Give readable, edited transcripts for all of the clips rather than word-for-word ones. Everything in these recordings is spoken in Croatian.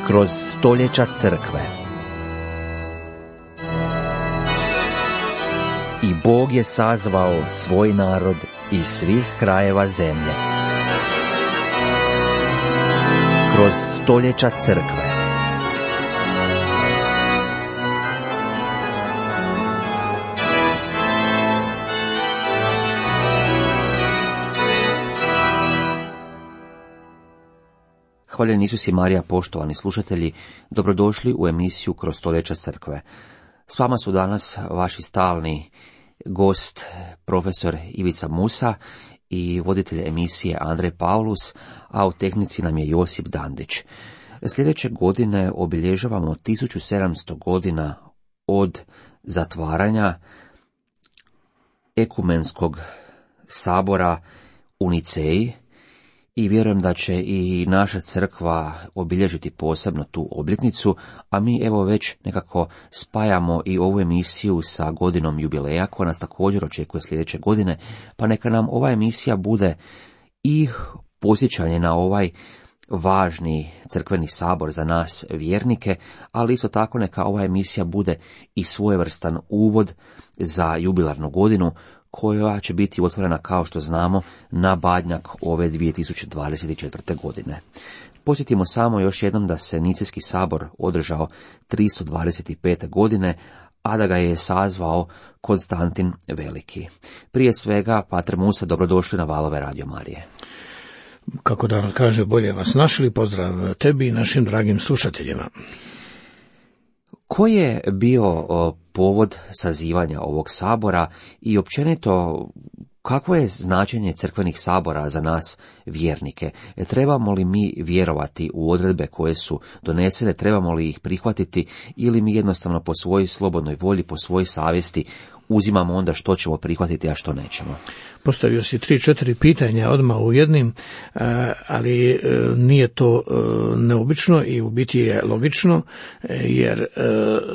Kroz stoljeća crkve. I Bog je sazvao svoj narod iz svih krajeva zemlje. Kroz stoljeća crkve. Hvaljeni Isus i Marija, poštovani slušatelji, dobrodošli u emisiju Kroz stoljeća crkve. S vama su danas vaši stalni gost, profesor Ivica Musa i voditelj emisije Andrej Paulus, a u tehnici nam je Josip Dandić. Sljedeće godine obilježavamo 1700 godina od zatvaranja ekumenskog sabora u Niceji, i vjerujem da će i naša crkva obilježiti posebno tu obljetnicu, a mi evo već nekako spajamo i ovu emisiju sa godinom jubileja koja nas također očekuje sljedeće godine, pa neka nam ova emisija bude i podsjećanje na ovaj važni crkveni sabor za nas vjernike, ali isto tako neka ova emisija bude i svojevrstan uvod za jubilarnu godinu koja će biti otvorena, kao što znamo, na Badnjak ove 2024. godine. Podsjetimo samo još jednom da se Nicejski sabor održao 325. godine, a da ga je sazvao Konstantin Veliki. Prije svega, Pater Musa, dobrodošli na valove Radio Marije. Kako da kaže, bolje vas našli, pozdrav tebi i našim dragim slušateljima. Koji je bio povod sazivanja ovog sabora i općenito kakvo je značenje crkvenih sabora za nas vjernike? Trebamo li mi vjerovati u odredbe koje su donesene, trebamo li ih prihvatiti ili mi jednostavno po svojoj slobodnoj volji, po svojoj savjesti uzimamo onda što ćemo prihvatiti, a što nećemo? Postavio si 3-4 pitanja odmah u jednim, ali nije to neobično i u biti je logično, jer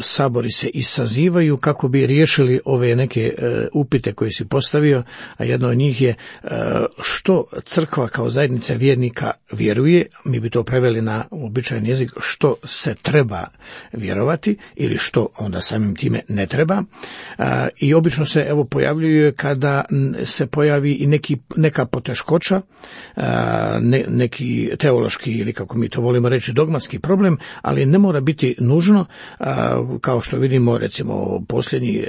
sabori se i sazivaju kako bi riješili ove neke upite koje si postavio, a jedno od njih je što crkva kao zajednica vjernika vjeruje, mi bi to preveli na običajan jezik, što se treba vjerovati ili što onda samim time ne treba. I obično se pojavljuje kada se pojavi i neka poteškoća, neki teološki ili kako mi to volimo reći dogmatski problem, ali ne mora biti nužno, kao što vidimo recimo posljednji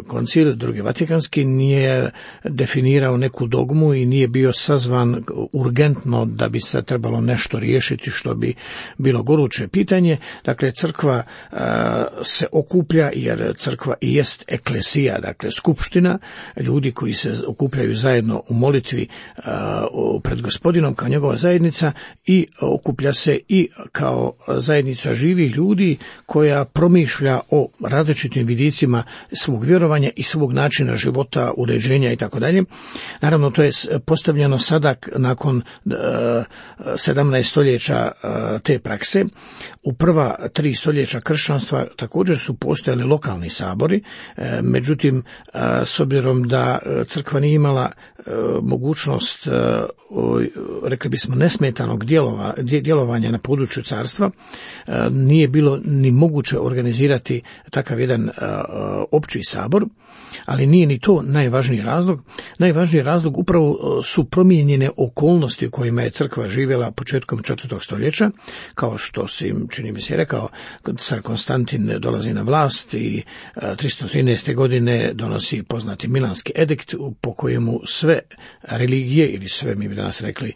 koncil, drugi Vatikanski, nije definirao neku dogmu i nije bio sazvan urgentno da bi se trebalo nešto riješiti što bi bilo goruće pitanje. Dakle, crkva se okuplja jer crkva i jest eklesija, dakle skupština, ljudi koji se okupljaju zajedno u molitvi pred Gospodinom kao njegova zajednica i okuplja se i kao zajednica živih ljudi koja promišlja o različitim vidicima svog vjerovanja i svog načina života, uređenja i tako dalje. Naravno, to je postavljeno sada nakon 17 stoljeća te prakse. U prva 3 stoljeća kršćanstva također su postojali lokalni sabori, međutim, s obzirom da crkva nije imala mogućnost, rekli bismo, nesmetanog djelovanja na području carstva, nije bilo ni moguće organizirati takav jedan opći sabor, ali nije ni to najvažniji razlog. Najvažniji razlog upravo su promijenjene okolnosti u kojima je crkva živjela početkom 4. stoljeća, kao što si, čini mi se, rekao, car Konstantin dolazi na vlast i 313. godine donosi poznati Milanski edikt po kojemu sve religije, ili sve, mi bi danas rekli,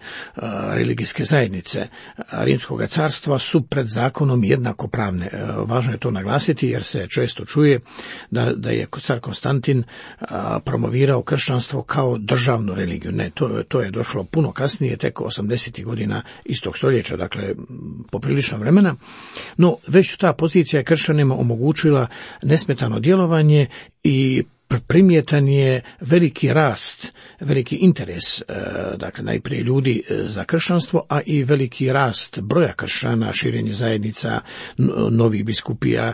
religijske zajednice Rimskog carstva su pred zakonom jednakopravne. Važno je to naglasiti jer se često čuje da je car Konstantin promovirao kršćanstvo kao državnu religiju. Ne, to je došlo puno kasnije, tek 80. godina istog stoljeća, dakle poprilično vremena. No, već ta pozicija je kršćanima omogućila nesmetano djelovanje i primjetan je veliki rast, veliki interes, dakle najprije ljudi za kršćanstvo, a i veliki rast broja kršćana, širenje zajednica, novih biskupija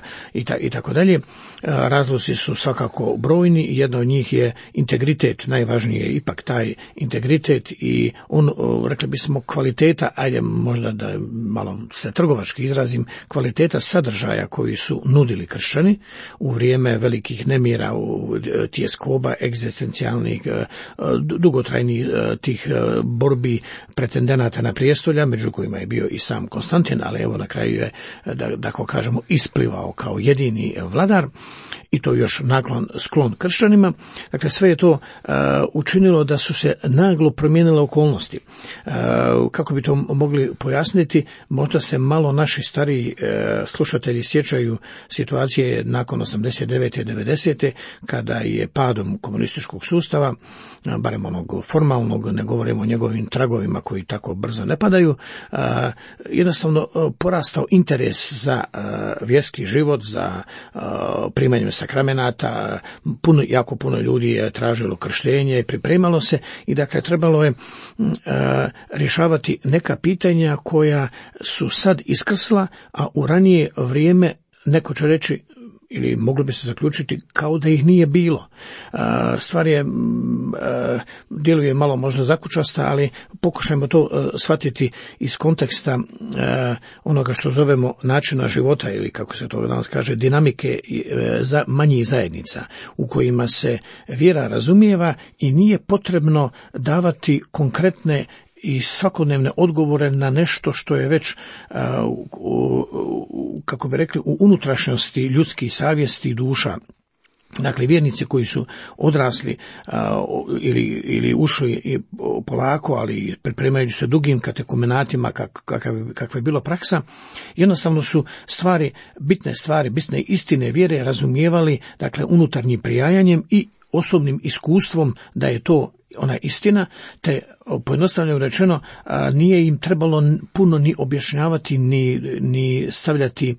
i tako dalje. Razlozi su svakako brojni i jedna od njih je integritet, najvažnije je ipak taj integritet i on, rekli bismo, kvaliteta, ajde možda da malo se trgovački izrazim, kvaliteta sadržaja koji su nudili kršćani u vrijeme velikih nemira, tjeskoba egzistencijalnih, dugotrajnih tih borbi pretendenata na prijestolja, među kojima je bio i sam Konstantin, ali evo na kraju je, da tako kažemo, isplivao kao jedini vladar i to još sklon kršćanima. Dakle, sve je to učinilo da su se naglo promijenile okolnosti. Kako bi to mogli pojasniti, možda se malo naši stariji slušatelji sjećaju situacije nakon 89. i 90. kada je padom komunističkog sustava, barem onog formalnog, ne govorimo o njegovim tragovima koji tako brzo ne padaju, jednostavno porastao interes za vjerski život, za primanje sakramenata, jako puno ljudi je tražilo krštenje, pripremalo se i dakle trebalo je rješavati neka pitanja koja su sad iskrsla, a u ranije vrijeme neko će reći, ili moglo bi se zaključiti kao da ih nije bilo. Stvar je, djeluje malo možda zakučasta, ali pokušajmo to shvatiti iz konteksta onoga što zovemo načina života ili kako se to danas kaže dinamike manjih zajednica u kojima se vjera razumijeva i nije potrebno davati konkretne i svakodnevne odgovore na nešto što je već, kako bi rekli, u unutrašnjosti ljudskih savjesti i duša. Dakle, vjernici koji su odrasli ili ušli polako, ali pripremajući se dugim katekumenatima, kakva je bilo praksa, jednostavno su bitne istine vjere razumijevali, dakle, unutarnjim prijajanjem i osobnim iskustvom da je to ona istina, te pojednostavljeno rečeno nije im trebalo puno ni objašnjavati ni stavljati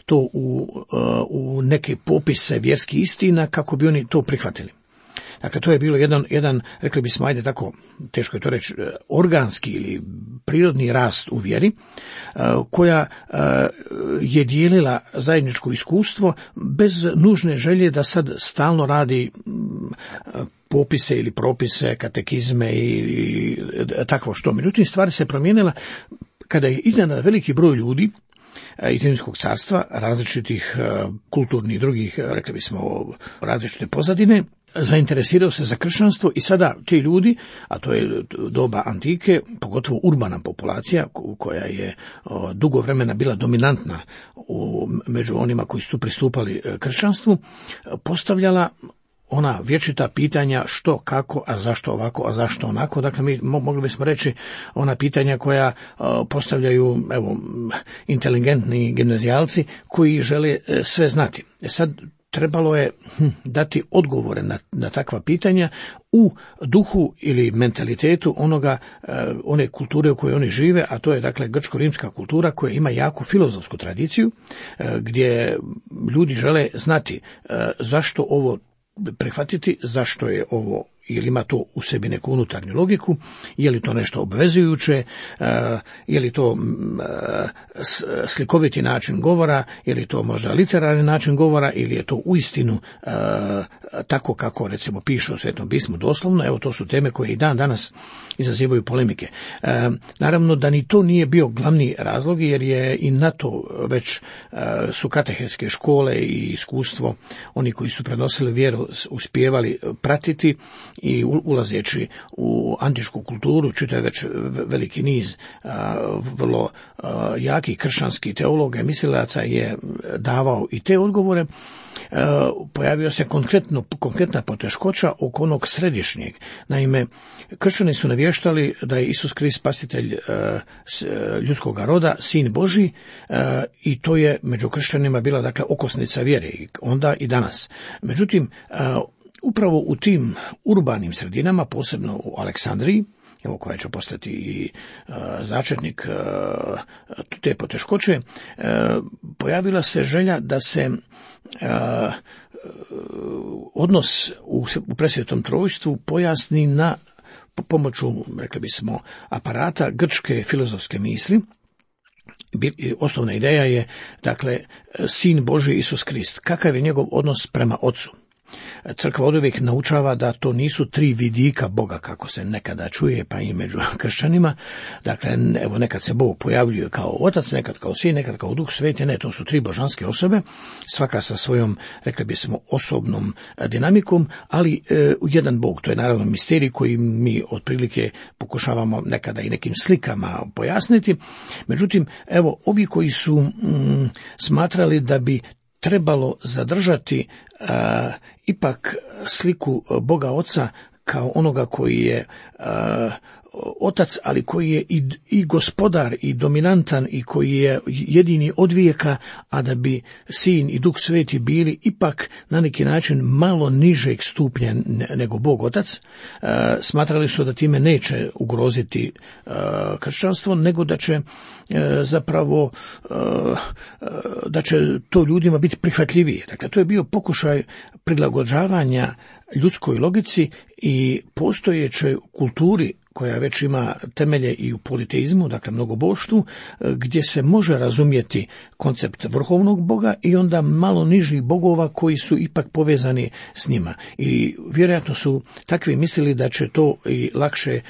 to u neke popise vjerskih istina kako bi oni to prihvatili. Dakle, to je bilo jedan, rekli bismo, ajde tako, teško je to reći, organski ili prirodni rast u vjeri, koja je dijelila zajedničko iskustvo bez nužne želje da sad stalno radi popise ili propise, katekizme i takvo što. Međutim, stvari se promijenila kada je iznenada veliki broj ljudi iz Rimskog carstva, različitih kulturnih i drugih, rekli bismo, različite pozadine, zainteresirao se za kršćanstvo i sada ti ljudi, a to je doba antike, pogotovo urbana populacija koja je dugo vremena bila dominantna među onima koji su pristupali kršćanstvu, postavljala ona vječita pitanja što, kako, a zašto ovako, a zašto onako. Dakle, mi mogli bismo reći ona pitanja koja postavljaju inteligentni gimnazijalci koji žele sve znati. Sad trebalo je dati odgovore na takva pitanja u duhu ili mentalitetu one kulture u kojoj oni žive, a to je dakle grčko-rimska kultura koja ima jaku filozofsku tradiciju, gdje ljudi žele znati zašto ovo prihvatiti, zašto je ovo, jer ima to u sebi neku unutarnju logiku, je li to nešto obvezujuće, je li to slikoviti način govora, je li to možda literarni način govora, ili je to uistinu tako kako recimo piše u Svetom pismu doslovno. Evo, to su teme koje i dan danas izazivaju polemike. Naravno da ni to nije bio glavni razlog, jer je i na to već su katehetske škole i iskustvo oni koji su prenosili vjeru uspijevali pratiti i ulazeći u antičku kulturu, čitav već veliki niz vrlo jakih kršćanskih teologa i mislilaca je davao i te odgovore. Pojavio se konkretna poteškoća oko onog središnjeg. Naime, kršćani su navještali da je Isus Krist spasitelj ljudskog roda, sin Božji, i to je među kršćanima bila dakle okosnica vjere, onda i danas. Međutim, upravo u tim urbanim sredinama, posebno u Aleksandriji, evo koja će postati i začetnik te poteškoće, pojavila se želja da se odnos u presvetom trojstvu pojasni na pomoću, rekli bismo, aparata grčke filozofske misli. Osnovna ideja je, dakle, Sin Božji Isus Krist. Kakav je njegov odnos prema Ocu? Crkva oduvijek naučava da to nisu tri vidika Boga, kako se nekada čuje, pa i među kršćanima. Dakle, evo, nekad se Bog pojavljuje kao Otac, nekad kao Sin, nekad kao Duh Sveti. Ne, to su tri božanske osobe, svaka sa svojom, rekli bismo, osobnom dinamikom, ali jedan Bog. To je naravno misterij koji mi otprilike pokušavamo nekada i nekim slikama pojasniti. Međutim, evo, ovi koji su smatrali da bi trebalo zadržati ipak sliku Boga Oca kao onoga koji je Otac, ali koji je i gospodar i dominantan i koji je jedini od vijeka, a da bi Sin i Duh Sveti bili ipak na neki način malo nižeg stupnja nego Bog Otac, smatrali su da time neće ugroziti kršćanstvo, nego da će zapravo da će to ljudima biti prihvatljivije. Dakle, to je bio pokušaj prilagođavanja ljudskoj logici i postojećoj kulturi koja već ima temelje i u politeizmu, dakle mnogoboštvu, gdje se može razumjeti koncept vrhovnog Boga i onda malo nižih bogova koji su ipak povezani s njima. I vjerojatno su takvi mislili da će to i lakše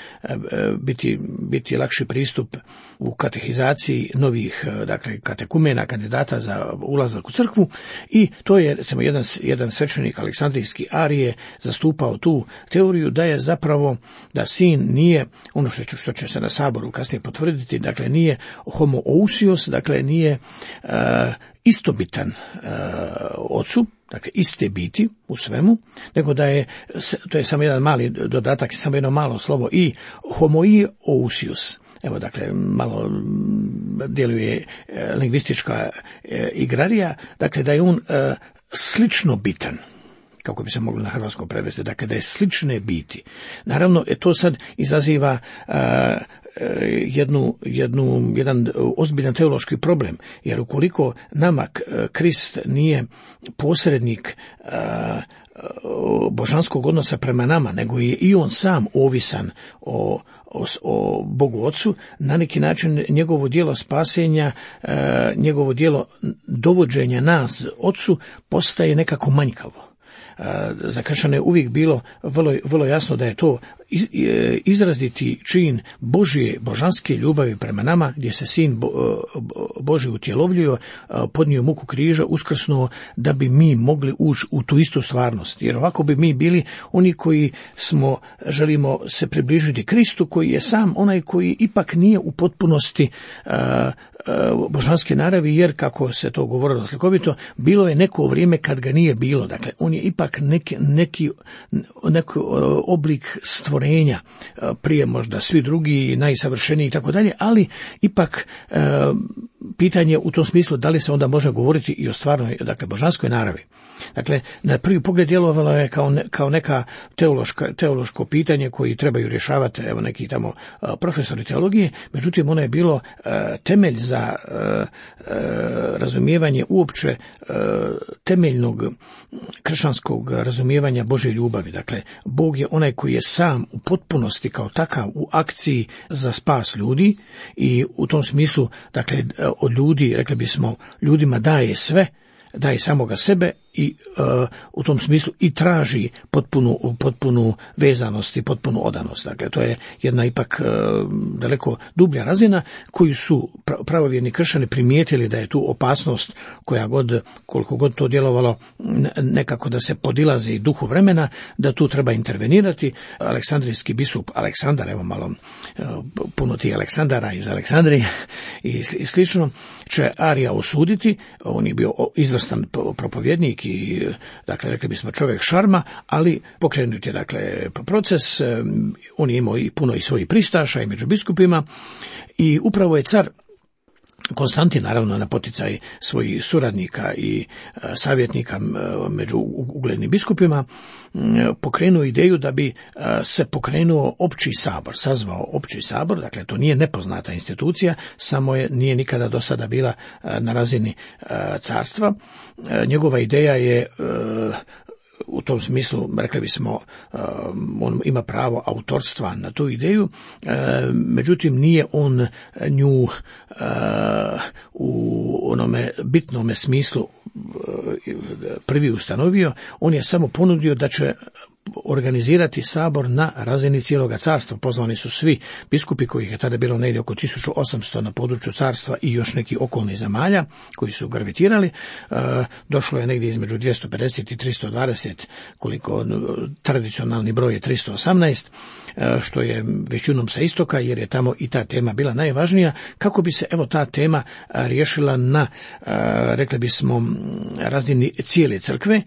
biti lakši pristup u katehizaciji novih, dakle, katekumena, kandidata za ulazak u crkvu, i to je, recimo, jedan svećenik Aleksandrijski Arije zastupao tu teoriju da je zapravo, da Sin nije ono što će se na saboru kasnije potvrditi, dakle nije homoousios, dakle nije istobitan Ocu, dakle iste biti u svemu, nego da je, to je samo jedan mali dodatak, samo jedno malo slovo i homoousios. Evo, dakle, malo djeluje lingvistička igrarija, dakle da je on slično bitan, kako bi se moglo na hrvatskom prevesti, dakle da je slične biti. Naravno, to sad izaziva jedan ozbiljan teološki problem, jer ukoliko nama Krist nije posrednik božanskog odnosa prema nama, nego je i on sam ovisan o Bogu Ocu, na neki način njegovo djelo spasenja, njegovo djelo dovođenja nas Ocu postaje nekako manjkavo. Za kršćane je uvijek bilo vrlo jasno da je to izraziti čin Božje, božanske ljubavi prema nama, gdje se Sin Božji utjelovljio, podnio muku križa, uskrsnuo da bi mi mogli ući u tu istu stvarnost. Jer ovako bi mi bili oni koji želimo se približiti Kristu, koji je sam onaj koji ipak nije u potpunosti božanske naravi, jer, kako se to govorilo slikovito, bilo je neko vrijeme kad ga nije bilo. Dakle, on je ipak neki oblik stvorenja, prije možda svi drugi, najsavršeniji i tako dalje, ali ipak pitanje u tom smislu da li se onda može govoriti i o stvarnoj, dakle, božanskoj naravi. Dakle, na prvi pogled djelovalo je kao neka teološko pitanje koji trebaju rješavati, evo, neki tamo profesori teologije, međutim ono je bilo temelj za razumijevanje uopće temeljnog kršćanskog razumijevanja Božje ljubavi. Dakle, Bog je onaj koji je sam u potpunosti kao takav u akciji za spas ljudi i u tom smislu, dakle, od ljudi, rekli bismo, ljudima daje sve, daje samoga sebe i u tom smislu i traži potpunu vezanost i potpunu odanost. Dakle, to je jedna ipak daleko dublja razina koju su pravovjerni kršćani primijetili da je tu opasnost koliko god to djelovalo nekako da se podilazi duhu vremena, da tu treba intervenirati. Aleksandrijski biskup Aleksandar, evo malo puno tih Aleksandara iz Aleksandrije i slično, će Arija osuditi. On je bio izvrstan propovjednik i, dakle, rekli bismo čovjek šarma, ali pokrenut je, dakle, proces. On je imao i puno i svojih pristaša i među biskupima i upravo je car Konstantin, naravno na poticaj svojih suradnika i savjetnika među uglednim biskupima, pokrenuo ideju da bi se pokrenuo opći sabor, sazvao opći sabor. Dakle, to nije nepoznata institucija, samo nije nikada do sada bila na razini carstva. Njegova ideja je u tom smislu, rekli bismo, on ima pravo autorstva na tu ideju, međutim nije on nju u onome bitnome smislu prvi ustanovio. On je samo ponudio da će organizirati sabor na razini cijeloga carstva. Pozvani su svi biskupi, kojih je tada bilo negdje oko 1800 na području carstva i još neki okolnih zemalja koji su gravitirali. Došlo je negdje između 250 i 320, koliko tradicionalni broj je 318, što je većinom sa istoka, jer je tamo i ta tema bila najvažnija, kako bi se ta tema riješila na, rekli bismo, razini cijele crkve.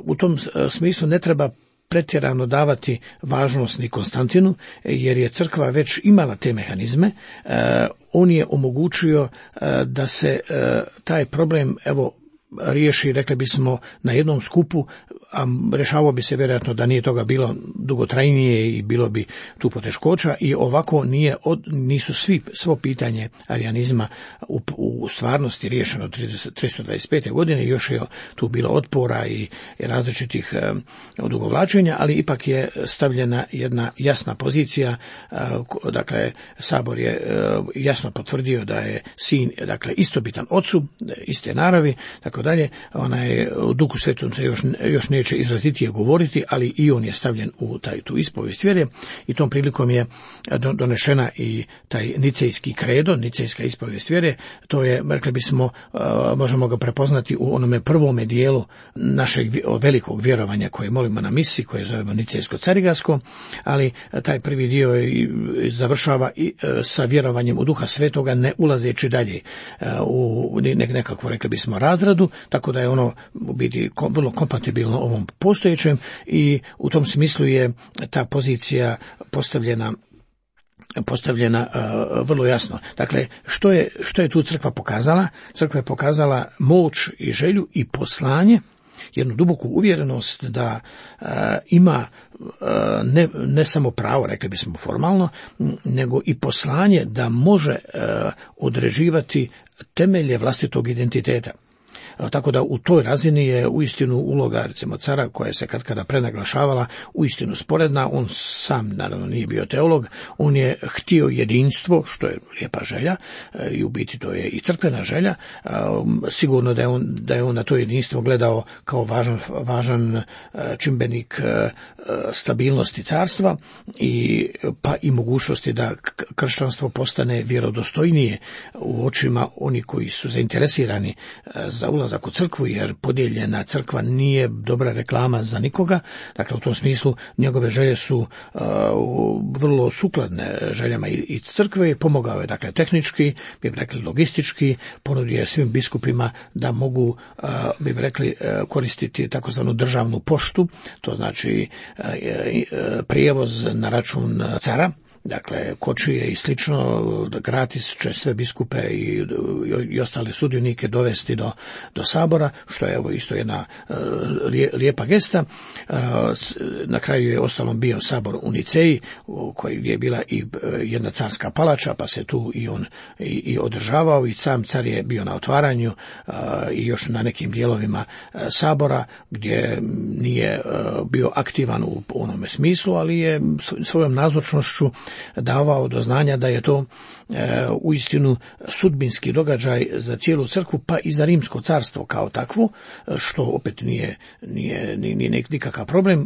U tom smislu ne treba pretjerano davati važnost ni Konstantinu, jer je crkva već imala te mehanizme. On je omogućio da se taj problem riješi, rekli bismo, na jednom skupu, a rješavao bi se vjerojatno da nije toga bilo dugotrajnije i bilo bi tu poteškoća, i ovako nisu svo pitanje arijanizma u stvarnosti riješeno 325. godine. Još je tu bilo otpora i različitih odugovlačenja, ali ipak je stavljena jedna jasna pozicija. Dakle, sabor je jasno potvrdio da je sin, dakle, istobitan ocu, iste naravi, tako dalje. U Duhu Svetom se još neće izrazitije govoriti, ali i on je stavljen u tu ispovijest vjere, i tom prilikom je donešena i taj nicejski kredo, nicejska ispovijest vjere. To je, rekli bismo, možemo ga prepoznati u onome prvome dijelu našeg velikog vjerovanja koje molimo na misi, koje zovemo nicejsko-carigrasko, ali taj prvi dio završava i sa vjerovanjem u Duha Svetoga, ne ulazeći dalje u nekakvu, rekli bismo, razradu, tako da je ono u biti vrlo kompatibilno ovom postojećem, i u tom smislu je ta pozicija postavljena vrlo jasno. Dakle, što je tu crkva pokazala? Crkva je pokazala moć i želju i poslanje, jednu duboku uvjerenost da ima ne samo pravo, rekli bismo formalno, nego i poslanje da može određivati temelje vlastitog identiteta. Tako da u toj razini je uistinu uloga, recimo, cara, koja se kada prenaglašavala, uistinu sporedna. On sam naravno nije bio teolog, on je htio jedinstvo, što je lijepa želja, i u biti to je i crkvena želja. Sigurno da je on na to jedinstvo gledao kao važan čimbenik stabilnosti carstva, pa i mogućnosti da kršćanstvo postane vjerodostojnije u očima oni koji su zainteresirani za ulazak u crkvu, jer podijeljena crkva nije dobra reklama za nikoga. Dakle, u tom smislu njegove želje su vrlo sukladne željama i crkve. Pomogao je, dakle, tehnički, bi rekli logistički, ponudio je svim biskupima da mogu, bi rekli, koristiti takozvanu državnu poštu, to znači prijevoz na račun cara. Dakle, kočije i slično, gratis će sve biskupe i ostale sudionike dovesti do sabora, što je isto jedna lijepa gesta. Na kraju je ostalom bio sabor u Niceji, gdje je bila i jedna carska palača, pa se tu i on i održavao, i sam car je bio na otvaranju i još na nekim dijelovima sabora, gdje nije bio aktivan u onome smislu, ali je svojom nazočnošću davao do znanja da je to uistinu sudbinski događaj za cijelu crkvu, pa i za Rimsko carstvo kao takvo, što opet nije nikakav problem.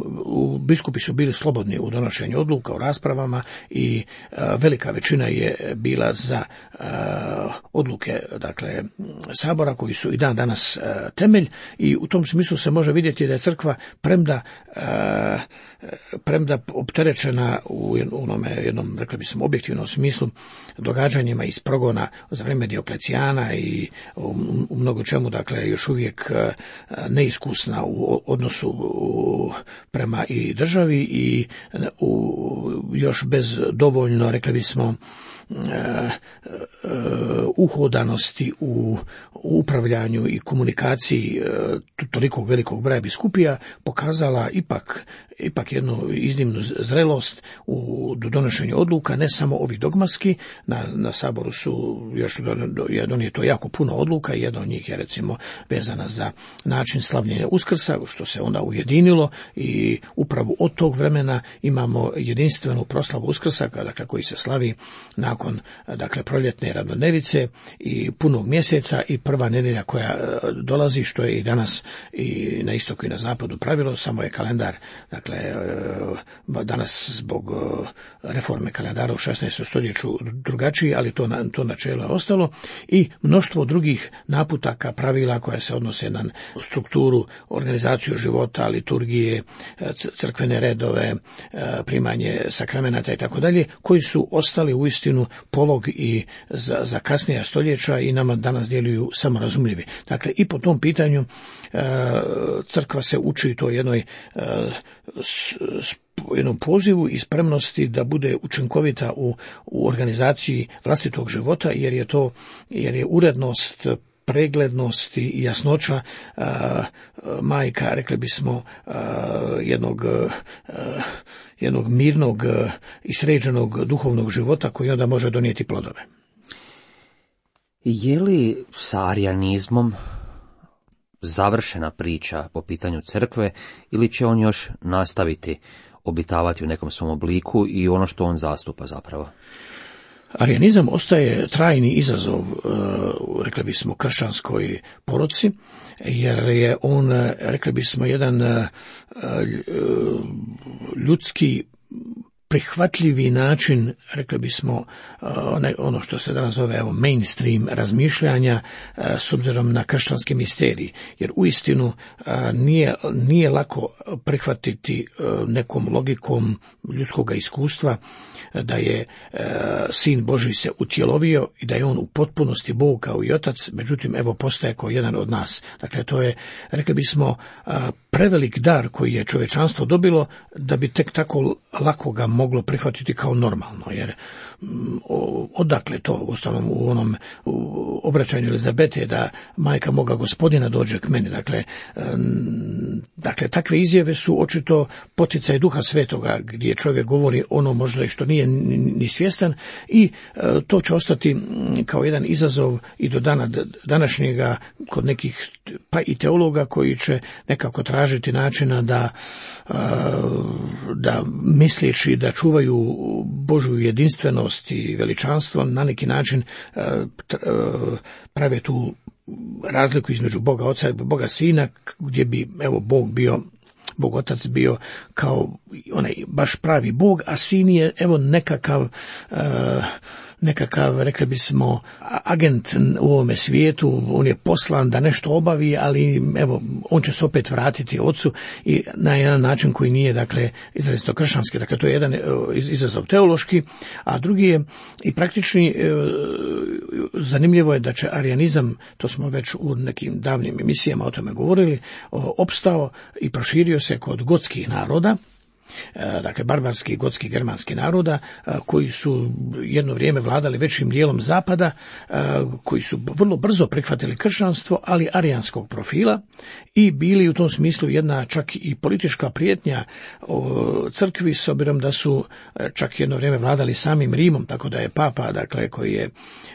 Biskupi su bili slobodni u donošenju odluka, u raspravama, i velika većina je bila za odluke, dakle, sabora, koji su i dan danas temelj, i u tom smislu se može vidjeti da je crkva, premda opterećena u jednom jednom, rekli bismo, objektivnom smislu događanjima iz progona za vrijeme Dioklecijana i u mnogo čemu, dakle, još uvijek neiskusna u odnosu prema i državi i još bez dovoljno, rekli bismo, uhodanosti u upravljanju i komunikaciji tolikog velikog broja biskupija, pokazala ipak jednu iznimnu zrelost u donošenju odluka, ne samo ovih dogmatski. Na saboru su još donijeto jako puno odluka i jedna od njih je recimo vezana za način slavljenja Uskrsa, što se onda ujedinilo i upravo od tog vremena imamo jedinstvenu proslavu Uskrsa, dakle, koji se slavi nakon, dakle, proljetne ravnodnevice i punog mjeseca i prva nedjelja koja dolazi, što je i danas i na istoku i na zapadu pravilo, samo je kalendar, dakle, danas zbog reforme kalendara u 16. stoljeću drugačiji, ali to načelo je ostalo, i mnoštvo drugih naputaka, pravila koja se odnose na strukturu, organizaciju života, liturgije, crkvene redove, primanje sakramenata i tako dalje, koji su ostali uistinu polog i za kasnija stoljeća i nama danas djeluju samorazumljivi. Dakle, i po tom pitanju crkva se uči to jednoj jednom pozivu i spremnosti da bude učinkovita u organizaciji vlastitog života, jer je urednost, preglednost i jasnoća majka, rekli bismo, jednog mirnog i sređenog duhovnog života koji onda može donijeti plodove. Je li sa arijanizmom završena priča po pitanju crkve ili će on još nastaviti obitavati u nekom svom obliku i ono što on zastupa zapravo? Arijanizam ostaje trajni izazov, rekli bismo, kršćanskoj poruci, jer je on, rekli bismo, jedan ljudski prihvatljivi način, rekli bismo, ono što se danas zove mainstream razmišljanja s obzirom na kršćanski misterij. Jer uistinu nije lako prihvatiti nekom logikom ljudskog iskustva da je Sin Božji se utjelovio i da je on u potpunosti Bog kao i Otac, međutim, postaje kao jedan od nas. Dakle, to je, rekli bismo, prevelik dar koji je čovječanstvo dobilo da bi tek tako lako ga moglo prihvatiti kao normalno, jer odakle to, uostalom u onom obraćanju Elizabete, da majka moga Gospodina dođe k meni. Dakle, takve izjave su očito poticaj Duha Svetoga, gdje čovjek govori ono možda i što nije ni svjestan, i to će ostati kao jedan izazov i do dana današnjega kod nekih, pa i teologa, koji će nekako tražiti načina da misleći da čuvaju Božju jedinstvenost i veličanstvo, na neki način prave tu razliku između Boga Oca i Boga Sina, gdje bi Bog Otac bio kao onaj baš pravi Bog, a Sin je nekakav, rekli bismo, agent u ovome svijetu, on je poslan da nešto obavi, ali on će se opet vratiti Otcu i na jedan način koji nije, dakle, izrazito kršćanski. Dakle, to je jedan izazov teološki, a drugi je i praktični. Zanimljivo je da će arijanizam, to smo već u nekim davnim emisijama o tome govorili, opstao i proširio se kod gotskih naroda, dakle barbarskih, gotskih, germanskih naroda, koji su jedno vrijeme vladali većim dijelom zapada, koji su vrlo brzo prihvatili kršćanstvo, ali arijanskog profila, i bili u tom smislu jedna čak i politička prijetnja crkvi, s obzirom da su čak jedno vrijeme vladali samim Rimom, tako da je papa, dakle, koji je,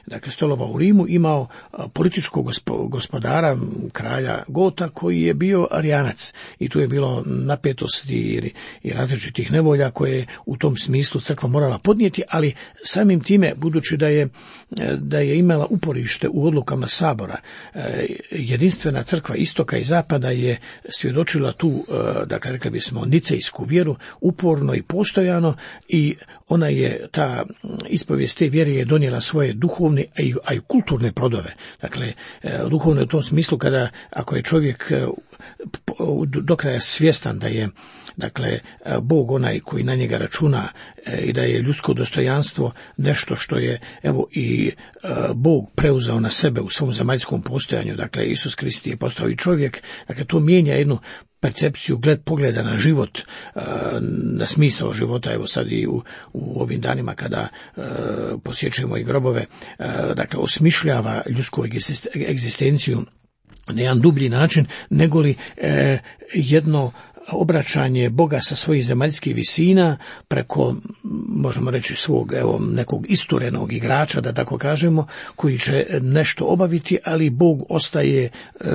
dakle, stolovao u Rimu, imao političkog gospodara, kralja Gota, koji je bio arijanac, i tu je bilo napetosti i različitih nevolja koje u tom smislu crkva morala podnijeti, ali samim time, budući da je imala uporište u odlukama sabora, jedinstvena crkva istoka i zapada je svjedočila tu, dakle, rekli bismo, nicejsku vjeru uporno i postojano, i ona je, ta ispovijest te vjere je donijela svoje duhovne, a i kulturne plodove. Dakle, duhovne u tom smislu, ako je čovjek do kraja svjestan da je Dakle, Bog onaj koji na njega računa i da je ljudsko dostojanstvo nešto što je evo i Bog preuzeo na sebe u svom zemaljskom postojanju. Dakle, Isus Krist je postao i čovjek. Dakle, to mijenja jednu percepciju, pogleda na život, na smisao života. Evo sad i u ovim danima kada posjećujemo i grobove, dakle, osmišljava ljudsku egzistenciju na jedan dublji način, negoli jedno obraćanje Boga sa svojih zemaljskih visina preko, možemo reći, svog nekog isturenog igrača, da tako kažemo, koji će nešto obaviti, ali Bog ostaje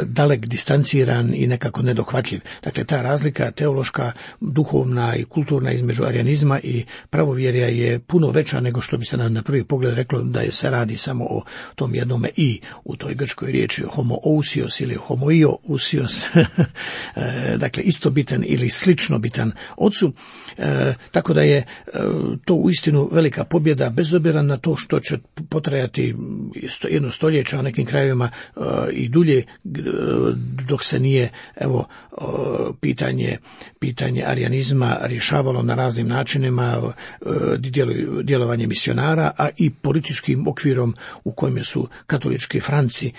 dalek, distanciran i nekako nedohvatljiv. Dakle, ta razlika teološka, duhovna i kulturna između arijanizma i pravovjerja je puno veća nego što bi se na prvi pogled reklo da je se radi samo o tom jednome i u toj grčkoj riječi homoousios ili homoiousios, dakle istobitan ili slično bitan ocu, tako da je to uistinu velika pobjeda, bez obzira na to što će potrajati jedno stoljeće, a nekim krajevima i dulje, dok se nije pitanje arijanizma rješavalo na raznim načinima, djelovanje misionara, a i političkim okvirom u kojem su katolički Franci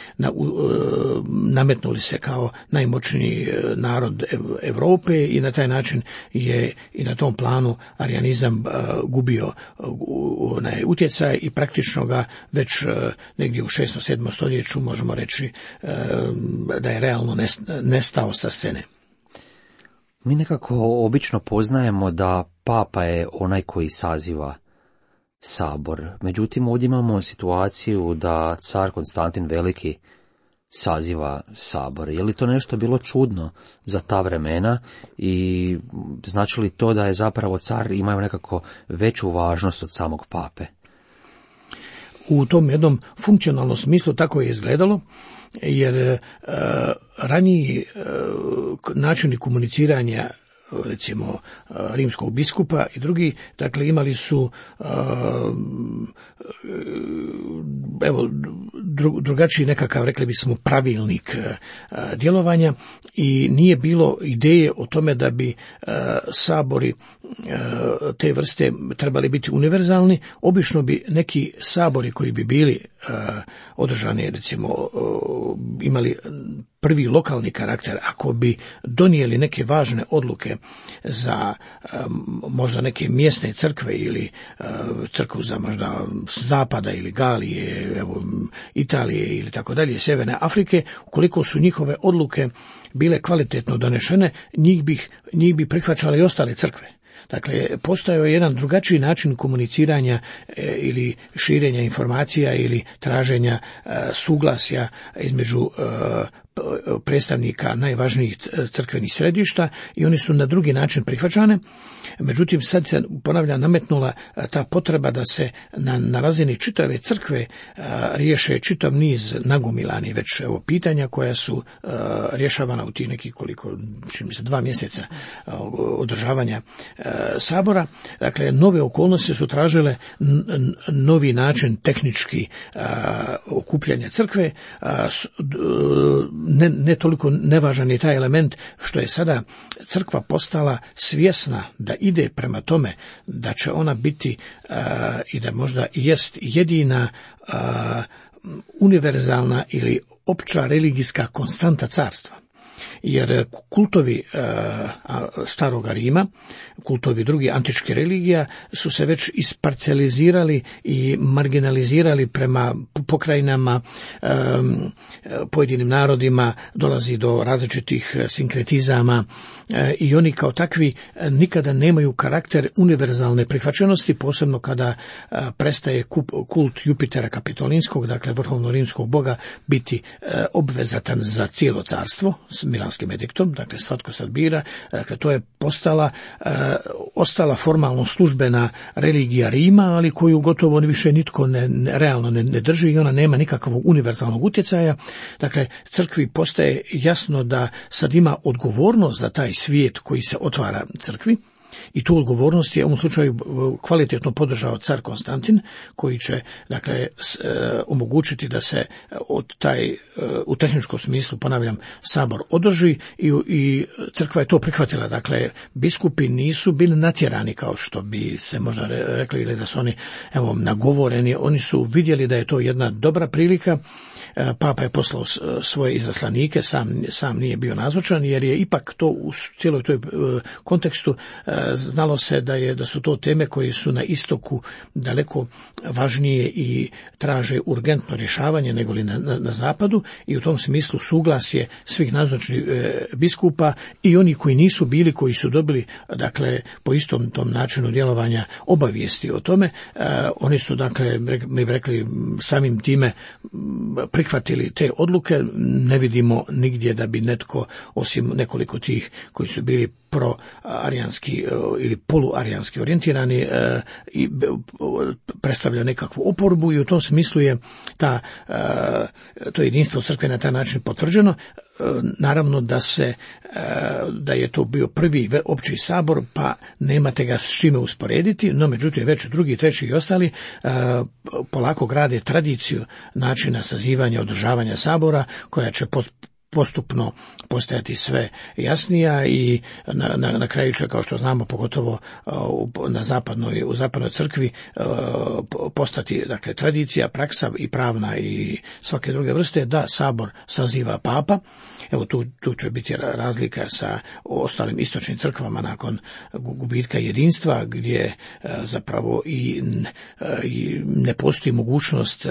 nametnuli se kao najmoćniji narod Europe i na taj način je i na tom planu arijanizam gubio utjecaj i praktično ga već negdje u 6. 7. stoljeću možemo reći da je realno nestao sa scene. Mi nekako obično poznajemo da papa je onaj koji saziva sabor. Međutim, ovdje imamo situaciju da car Konstantin Veliki saziva sabor. Je li to nešto bilo čudno za ta vremena i znači li to da je zapravo car imao nekako veću važnost od samog pape? U tom jednom funkcionalnom smislu tako je izgledalo, jer raniji načini komuniciranja, recimo rimskog biskupa i drugi, dakle imali su drugačiji nekakav, rekli bismo, pravilnik djelovanja i nije bilo ideje o tome da bi sabori te vrste trebali biti univerzalni. Obično bi neki sabori koji bi bili održani, recimo imali prvi lokalni karakter, ako bi donijeli neke važne odluke za možda neke mjesne crkve ili crkvu za možda zapada ili Galije, Italije ili tako dalje, Sjeverne Afrike, ukoliko su njihove odluke bile kvalitetno donešene, njih bi prihvaćale i ostale crkve. Dakle, postojao je jedan drugačiji način komuniciranja ili širenja informacija ili traženja suglasja između predstavnika najvažnijih crkvenih središta i oni su na drugi način prihvaćane. Međutim, sad se, ponavljam, nametnula ta potreba da se na razini čitave crkve riješe čitav niz nagomilani već pitanja koja su rješavana u tih nekih čini mi se 2 mjeseca održavanja sabora. Dakle, nove okolnosti su tražile novi način tehnički okupljanja crkve. Ne toliko nevažan je taj element što je sada crkva postala svjesna da ide prema tome da će ona biti i da možda jest jedina univerzalna ili opća religijska konstanta carstva. Jer kultovi staroga Rima, kultovi drugih antičkih religija su se već isparcelizirali i marginalizirali prema pokrajinama, pojedinim narodima, dolazi do različitih sinkretizama i oni kao takvi nikada nemaju karakter univerzalne prihvaćenosti, posebno kada prestaje kult Jupitera Kapitolinskog, dakle vrhovno rimskog boga, biti obvezatan za cijelo carstvo s Milanskim ediktom, dakle svatko sad bira. Dakle, to je ostala formalno službena religija Rima, ali koju gotovo više nitko realno ne drži i ona nema nikakvog univerzalnog utjecaja. Dakle, crkvi postaje jasno da sad ima odgovornost za taj svijet koji se otvara crkvi i tu odgovornost je u ovom slučaju kvalitetno podržao car Konstantin, koji će dakle omogućiti da se u tehničkom smislu, ponavljam, sabor održi i crkva je to prihvatila. Dakle, biskupi nisu bili natjerani kao što bi se možda rekli, ili da su oni nagovoreni. Oni su vidjeli da je to jedna dobra prilika. Papa je poslao svoje izaslanike, sam nije bio nazočan, jer je ipak to u cijeloj toj kontekstu znalo se da su to teme koje su na istoku daleko važnije i traže urgentno rješavanje nego li na zapadu, i u tom smislu suglasje svih nazočnih biskupa i oni koji nisu bili, koji su dobili dakle po istom tom načinu djelovanja obavijesti o tome, oni su dakle, mi bi rekli, samim time prihvatili te odluke. Ne vidimo nigdje da bi netko, osim nekoliko tih koji su bili pro-arijanski ili poluarijanski orijentirani, i predstavlja nekakvu oporbu, i u tom smislu je to jedinstvo crkve na taj način potvrđeno. Naravno da je to bio prvi opći sabor, pa nemate ga s čime usporediti, no međutim već drugi, treći i ostali polako grade tradiciju načina sazivanja, održavanja sabora, koja će postupno postajati sve jasnija i na kraju će, kao što znamo, pogotovo u zapadnoj crkvi, postati dakle tradicija, praksa i pravna i svake druge vrste da sabor saziva papa. Evo tu će biti razlika sa ostalim istočnim crkvama nakon gubitka jedinstva, gdje zapravo i ne postoji mogućnost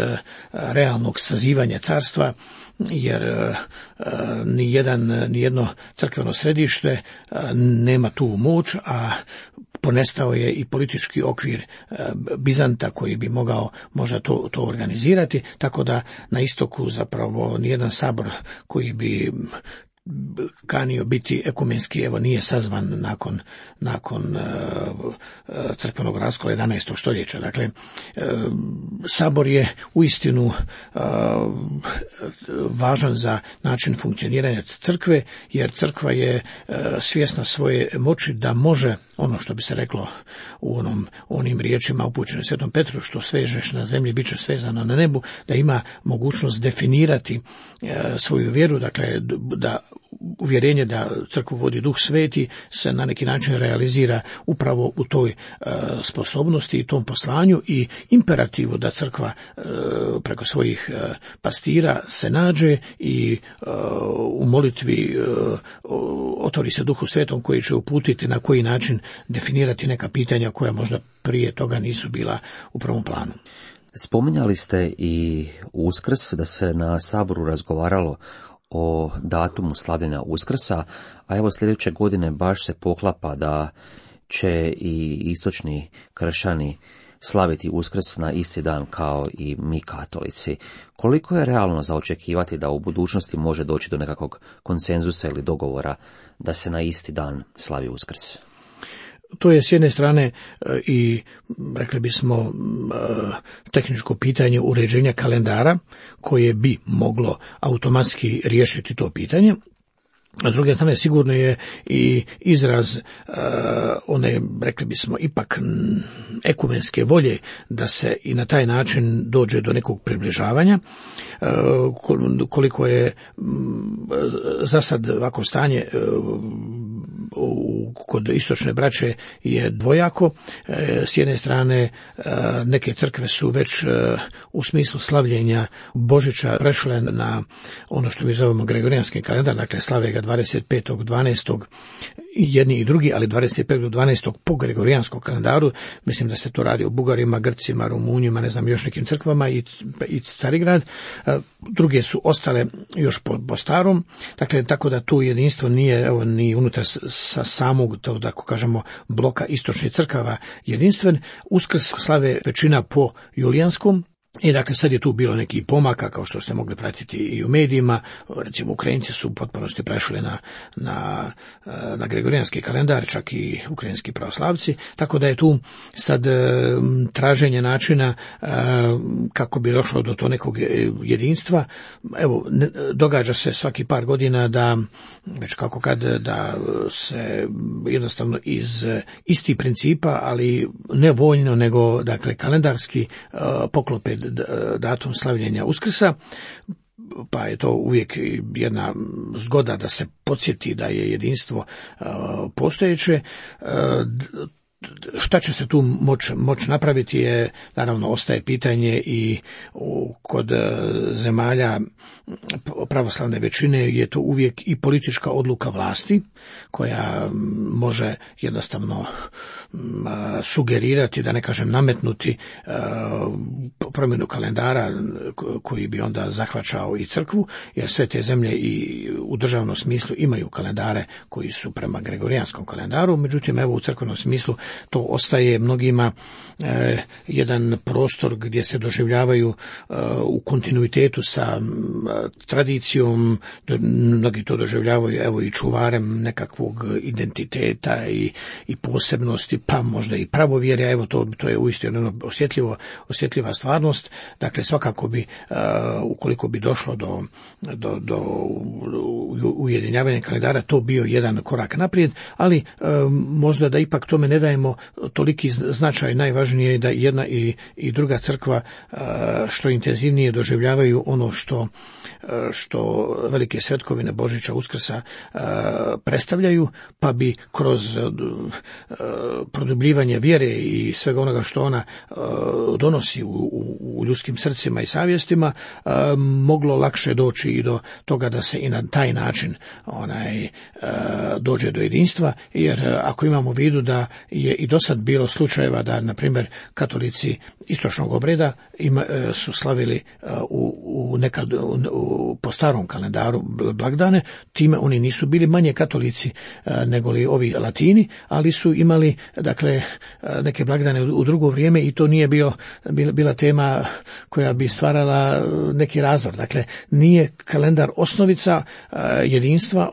realnog sazivanja carstva, jer nijedno crkveno središte nema tu moć, a ponestao je i politički okvir Bizanta koji bi mogao možda to organizirati, tako da na istoku zapravo nijedan sabor koji bi kanio biti ekumenski nije sazvan nakon crkvenog raskola 11. stoljeća. Dakle, sabor je uistinu važan za način funkcioniranja crkve, jer crkva je svjesna svoje moći da može, ono što bi se reklo u onim riječima upućenim Svetom Petru, što svežeš na zemlji bit će svezano na nebu, da ima mogućnost definirati svoju vjeru, dakle da uvjerenje da crkvu vodi Duh Sveti se na neki način realizira upravo u toj sposobnosti i tom poslanju i imperativu da crkva preko svojih pastira se nađe i u molitvi otvori se Duhu Svetom koji će uputiti na koji način definirati neka pitanja koja možda prije toga nisu bila u prvom planu. Spominjali ste i Uskrs, da se na saboru razgovaralo o datumu slavljenja Uskrsa, a evo sljedeće godine baš se poklapa da će i istočni kršćani slaviti Uskrs na isti dan kao i mi katolici. Koliko je realno za očekivati da u budućnosti može doći do nekakvog konsenzusa ili dogovora da se na isti dan slavi Uskrs? To je s jedne strane i, rekli bismo, tehničko pitanje uređenja kalendara koje bi moglo automatski riješiti to pitanje. A s druge strane sigurno je i izraz one, rekli bismo, ipak ekumenske volje da se i na taj način dođe do nekog približavanja. Koliko je za sad ovako stanje kod istočne braće je dvojako. S jedne strane neke crkve su već u smislu slavljenja Božića prešle na ono što mi zovemo gregorijanski kalendar, dakle slave ga 25.12. jedni i drugi, ali 25.12. po gregorijanskom kalendaru. Mislim da se to radi o Bugarima, Grcima, Rumunjima, ne znam, još nekim crkvama i Carigrad. Druge su ostale još po starom. Dakle, tako da tu jedinstvo nije ni unutar sa samog, to da kažemo, bloka istočnih crkava jedinstven. Uskrs slave većina po julijanskom I dakle sad je tu bilo neki pomaka, kao što ste mogli pratiti i u medijima. Recimo Ukrajinci su u potpunosti prešli na gregorijanski kalendar, čak i ukrajinski pravoslavci, tako da je tu sad traženje načina kako bi došlo do to nekog jedinstva. Evo, događa se svaki par godina da se jednostavno iz istih principa, ali ne voljno, nego dakle kalendarski poklope datum slavljenja Uskrsa, pa je to uvijek jedna zgoda da se podsjeti da je jedinstvo postojeće. Šta će se tu moći napraviti je, naravno, ostaje pitanje i kod zemalja pravoslavne većine je to uvijek i politička odluka vlasti koja može jednostavno sugerirati, da ne kažem nametnuti, promjenu kalendara koji bi onda zahvaćao i crkvu, jer sve te zemlje i u državnom smislu imaju kalendare koji su prema gregorijanskom kalendaru, međutim evo u crkvenom smislu to ostaje mnogima jedan prostor gdje se doživljavaju u kontinuitetu sa tradicijom, mnogi to doživljavaju evo i čuvarem nekakvog identiteta i posebnosti, pa možda i pravovjerja. Evo to je uistinu osjetljiva stvarnost. Dakle, svakako bi, ukoliko bi došlo do ujedinjavanja kalendara, to bio jedan korak naprijed, ali možda da ipak tome ne dajemo toliki značaj. Najvažnije je da jedna i druga crkva što intenzivnije doživljavaju ono što velike svetkovine Božića, Uskrsa predstavljaju, pa bi kroz produbljivanje vjere i svega onoga što ona donosi u ljudskim srcima i savjestima moglo lakše doći i do toga da se i na taj način dođe do jedinstva, jer ako imamo u vidu da je i do sad bilo slučajeva da, na primjer, katolici istočnog obreda su slavili po starom kalendaru blagdane, time oni nisu bili manje katolici nego li ovi latini, ali su imali dakle neke blagdane u drugo vrijeme i to nije bila tema koja bi stvarala neki razdor. Dakle, nije kalendar osnovica jedinstva,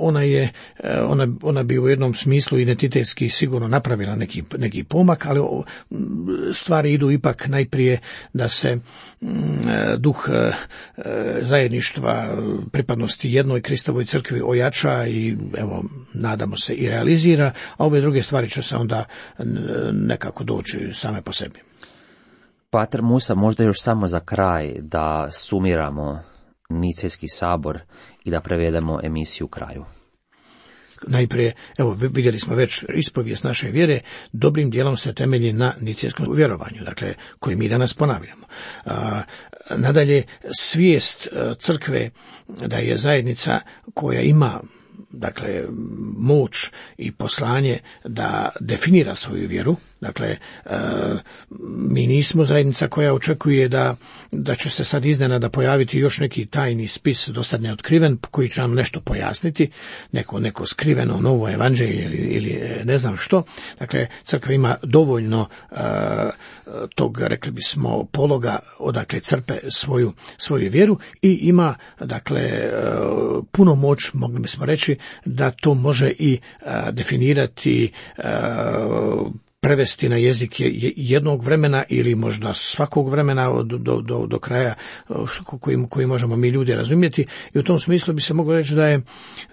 ona bi u jednom smislu identitetski sigurno napravila neki pomak, ali stvari idu ipak najprije da se duh zajedništva, pripadnosti jednoj Kristovoj crkvi ojača i evo, nadamo se i realizira, a ove druge stvari će se onda nekako doći same po sebi. Pater Musa, možda još samo za kraj da sumiramo Nicejski sabor i da prevedemo emisiju kraju. Najprije, evo, vidjeli smo već ispovijest naše vjere, dobrim dijelom se temelji na nicejskom vjerovanju, dakle, koji mi danas ponavljamo. Nadalje, svijest crkve da je zajednica koja ima, dakle, moć i poslanje da definira svoju vjeru. Dakle, mi nismo zajednica koja očekuje da će se sad iznenada pojaviti još neki tajni spis dosad neotkriven koji će nam nešto pojasniti, neko skriveno novo evanđelje ili ne znam što. Dakle, crkva ima dovoljno tog, rekli bismo, pologa odakle crpe svoju vjeru i ima, dakle, puno moć, mogli bismo reći, da to može i definirati, prevesti na jezik jednog vremena ili možda svakog vremena do kraja koji možemo mi ljudi razumjeti. I u tom smislu bi se moglo reći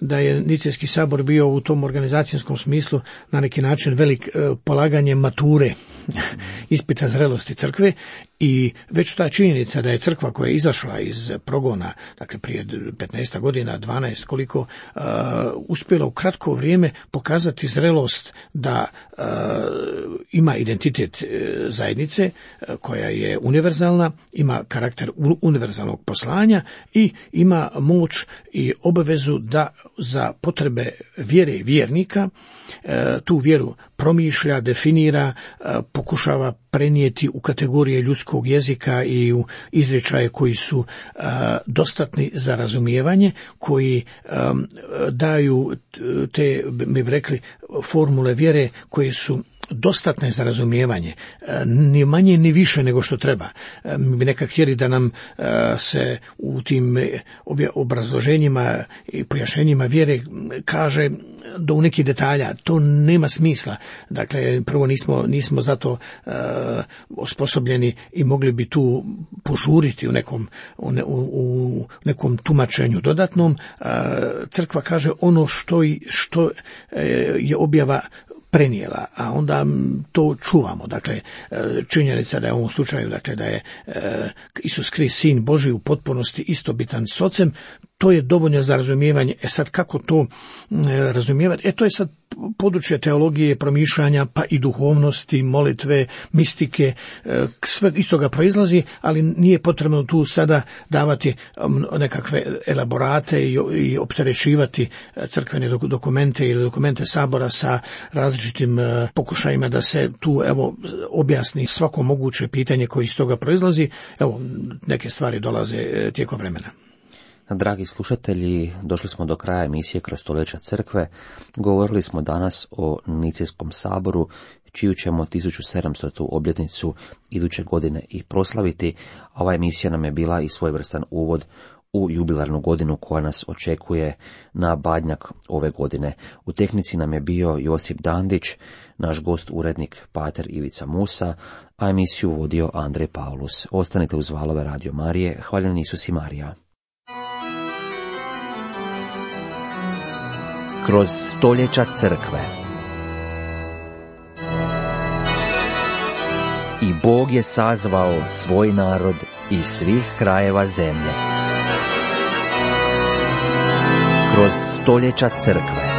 da je Nicejski sabor bio u tom organizacijskom smislu na neki način velik polaganje mature, ispita zrelosti crkve, i već ta činjenica da je crkva koja je izašla iz progona, dakle prije 15 godina, 12 koliko, uspjela u kratko vrijeme pokazati zrelost da ima identitet zajednice koja je univerzalna, ima karakter univerzalnog poslanja i ima moć i obavezu da za potrebe vjere i vjernika tu vjeru promišlja, definira, pokušava prenijeti u kategorije ljudskog jezika i u izričaje koji su dostatni za razumijevanje, koji daju te, mi bi rekli, formule vjere koje su dostatne za razumijevanje, ni manje ni više nego što treba. Mi bi nekak htjeli da nam se u tim obrazloženjima i pojašnjenjima vjere kaže do u nekih detalja. To nema smisla. Dakle, prvo nismo zato osposobljeni i mogli bi tu požuriti u nekom tumačenju dodatnom. Crkva kaže ono što je objava prenijela, a onda to čuvamo. Dakle, činjenica da je u ovom slučaju, dakle, da je Isus Krist sin Božji u potpunosti istobitan s Ocem, to je dovoljno za razumijevanje. Sad kako to razumijevati? To je sad područje teologije, promišljanja, pa i duhovnosti, molitve, mistike, sve iz toga proizlazi, ali nije potrebno tu sada davati nekakve elaborate i opterećivati crkvene dokumente ili dokumente sabora sa različitim pokušajima da se tu objasni svako moguće pitanje koje iz toga proizlazi. Neke stvari dolaze tijekom vremena. Dragi slušatelji, došli smo do kraja emisije Kroz stoljeća crkve. Govorili smo danas o Nicijskom saboru, čiju ćemo 1700. obljetnicu iduće godine i proslaviti. Ova emisija nam je bila i svojevrstan uvod u jubilarnu godinu koja nas očekuje na Badnjak ove godine. U tehnici nam je bio Josip Dandić, naš gost urednik pater Ivica Musa, a emisiju vodio Andrej Paulus. Ostanite uz valove Radio Marije. Hvaljen Isus i Marija. Kroz stoljeća crkve. I Bog je sazvao svoj narod iz svih krajeva zemlje. Kroz stoljeća crkve.